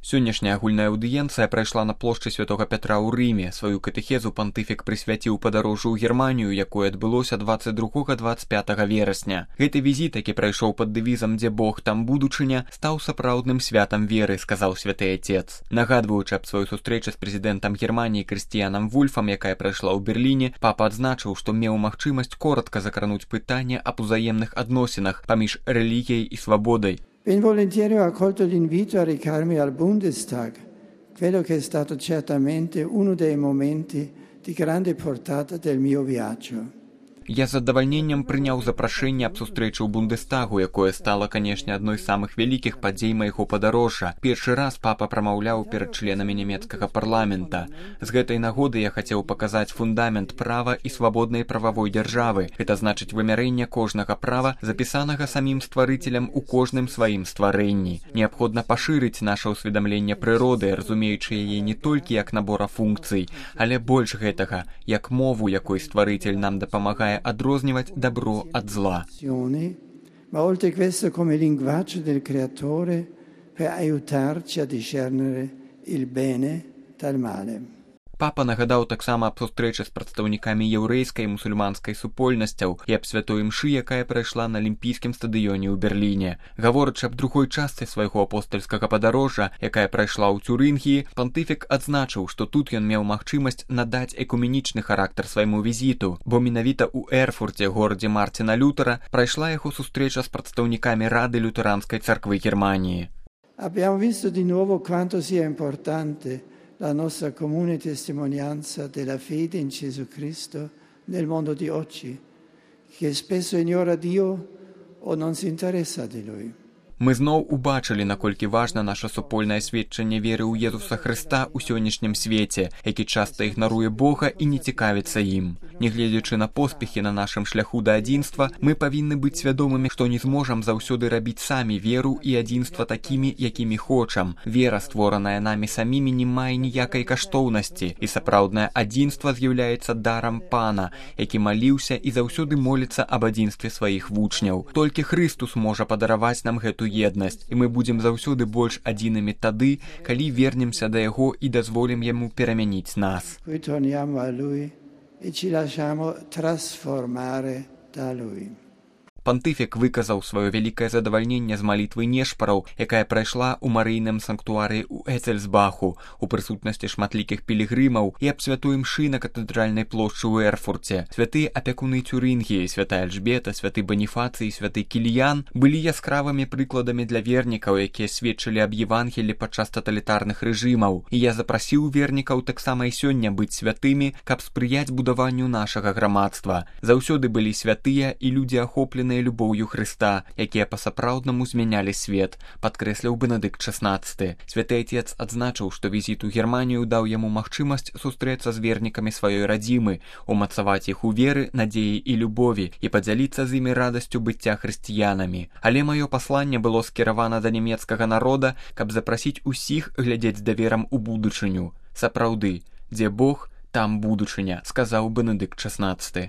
Сённяшняя агульная аўдыенцыя прайшла на плошчы Святога Пятра ў Рыме. Сваю катэхезу пантыфік прысвяціў падарожжу ў Германію, якое адбылося 22-25 верасня. Гэты візіт, які прайшоў пад дэвізам «Дзе Бог, там будучыня», стаў сапраўдным святам веры, сказаў святы отец. Нагадваючы аб сваёй сустрэчы з прэзідэнтам Германіі Крыстіянам Вульфам, якая прайшла ў Берліне, папа адзначыў, што меў магчымасць коратка закрануць пытанне аб узаемных адносінах паміж рэлігіяй і свабодай. Ben volentieri ho accolto l'invito a recarmi al Bundestag, quello che è stato certamente uno dei momenti di grande portata del mio viaggio. Я з задавальненнем прыняў запрашэнне аб сустрэчы ў Бундестагу, якое стала, канешне, адной з самых вялікіх падзей майго падарожжа. Першы раз папа прамаўляў перад членамі нямецкага парламента. З гэтай нагоды я хацеў паказаць фундамент права і свабоднай прававой дзяржавы. Гэта значыць вымярэнне кожнага права, запісанага самім стварыцелем у кожным сваім стварэнні. Неабходна пашырыць наша ўсведамленне прыроды, разумеючы яе не толькі як набора функцый, але больш гэтага, як мову, якой стварыцель нам дапамагае adroznivать добро от зла. Ma oltre questo come linguaggio del creatore per aiutarci a discernere il bene dal male. Папа нагадаў таксама аб сустрэчы з прадстаўнікамі яўрэйскай і мусульманскай супольнасцяў і аб святой імшы, якая прайшла на алімпійскім стадыёне ў Берліне. Гаворачы аб другой частцы свайго апостальскага падарожжа, якая прайшла ў Цюрынгіі, пантыфік адзначыў, што тут ён меў магчымасць надаць экуменічны характар свайму візіту, бо менавіта ў Эрфурце, горадзе Мартина Лютера, прайшла яго сустрэча з прадстаўнікамі Рады лютэранскай царквы Германіі. Abbiamo visto di nuovo quanto sia importante la nostra comune testimonianza della fede in Gesù Cristo nel mondo di oggi, che spesso ignora Dio o non si interessa di Lui. Мы зноў убачылі, наколькі важна наша супольнае сведчанне веры ў Езуса Хрыста ў сённяшнім свеце, які часта ігнаруе Бога і не цікавіцца ім. Нягледзячы на поспехі на нашым шляху да адзінства, мы павінны быць свядомымі, што не зможам заўсёды рабіць самі веру і адзінства такімі, якімі хочам. Вера, створаная намі самімі, не мае ніякай каштоўнасці, і сапраўднае адзінства з'яўляецца дарам Пана, які маліўся і заўсёды моліцца аб адзінстве сваіх вучняў. Толькі Хрыстус можа падараваць нам гэту еднасць, і мы будзем заўсёды больш адзінымі тады, калі вернемся да яго і дазволім яму перамяніць нас. Пантыфік выказаў сваё вялікае задавальненне з малітвы нешпараў, якая прайшла ў марыйным санктуарыі ў Эцельсбаху, у прысутнасці шматлікіх пілігрымаў і аб святой імшы на катэдральнай плошчы ў Эрфурце. Святыя апякуны Цюрынгіі, святая Альжбета, святы Баніфацый і святы Кіліян былі яскравымі прыкладамі для вернікаў, якія сведчылі аб Евангелі падчас таталітарных рэжымаў. І я запрасіў вернікаў таксама і сёння быць святымі, каб спрыяць будаванню нашага грамадства. Заўсёды былі святыя і людзі ахопленыя любоўю Хрыста, якія па-сапраўднаму змянялі свет, падкрэсліў Бенедыкт XVI. Святы отец адзначыў, што візіт у Германію даў яму магчымасць сустрэцца з вернікамі сваёй радзімы, умацаваць іх у веры, надзеі і любові і падзяліцца з імі радасцю быцця хрысціянамі. Але маё пасланне было скіравана да нямецкага народа, каб запрасіць усіх глядзець даверам у будучыню. Сапраўды, дзе Бог, там будучыня, сказаў Бенедыкт XVI.